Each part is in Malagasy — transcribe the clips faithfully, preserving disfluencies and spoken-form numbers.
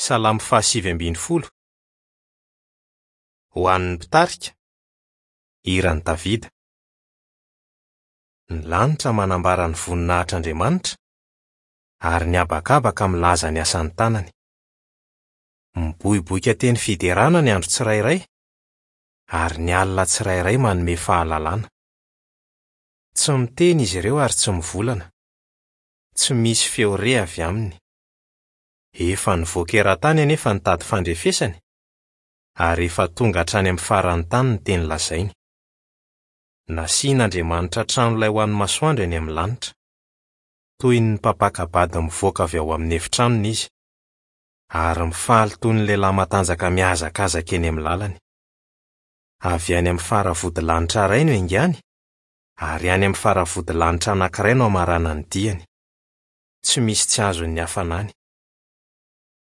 Salamo fahasivy ambin'ny folo. Ho an'ny mpitarika, hiran'i Davida. Ny lanitra manambara ny voninahitr'Andriamanitra, ary ny habakabaka milaza ny asan'ny tanany. Miboiboika teny fiderana ny andro tsirairay, ary ny alina tsirairay manome fahalalana. Tsy miteny izy ireo ary tsy mivolana. Tsy misy feo re avy aminy. Efa nivoaka eran-tany anefa ny tady fandrefesany, ary efa tonga hatrany amin'ny faran'ny tany ny teny lazainy. Nasian'Andriamanitra trano lay ho an'ny masoandro eny amin'ny lanitra. Toy ny mpampaka-bady mivoaka avy ao amin'ny efitranony izy, ary mifaly toy ny lehilahy matanjaka mihazakazaka eny amin'ny lalany. Avy any amin'ny faravodilanitra iray no iaingany, ary any amin'ny faravodilanitra anankiray no hamaranany diany. Tsy misy tsy azon'ny hafanany.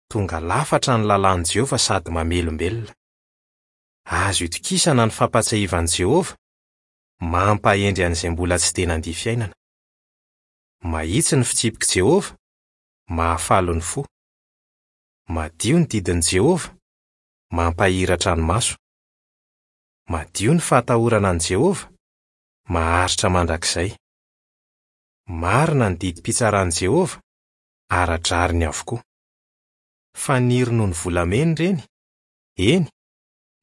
Tonga lafatra ny lalàn'i Jehovah sady mamelombelona. Azo itokisana ny fampahatsiahivan'i Jehovah, mampahendry an'izay mbola tsy dia nandia fiainana. Mahitsy ny fitsipik'i Jehovah, mahafaly ny fo. Madio ny didin'i Jehovah, mampahiratra ny maso. Madio ny fahatahorana an'i Jehovah, maharitra mandrakizay. Marina ny didim-pitsaran'i Jehovah, ara-drariny avokoa. Faniry noho ny volamena ireny, eny,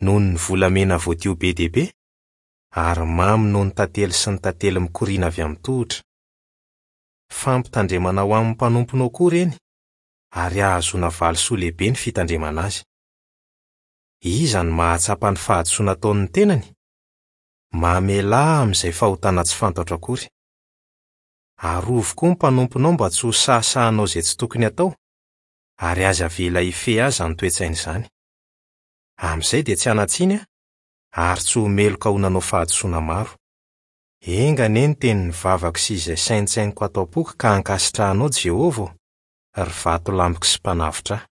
noho ny volamena voadio be dia be, ary mamy noho ny tantely sy ny tantely mikoriana avy amin'ny tohotra. Fampitandremana ho amin'ny mpanomponao koa ireny, ary ahazoana valisoa lehibe ny fitandremana azy. Iza no mahatsapa ny fahadisoana ataon'ny tenany? Mamelà amin'izay fahotana tsy fantatro akory. Arovy koa ny mpanomponao mba tsy ho sahasahanao izay tsy tokony atao, ary aza avela hifehy azy izany toe-tsaina izany. Amin'izay dia tsy hanan-tsiny aho, ary tsy ho meloka ho nanao fahadisoana maro. Enga anie ny tenin'ny vavako sy izay saintsainiko ato am-poko ka ankasitrahanao Jehovah ô, ry vatolampiko sy mpanavotra ahy.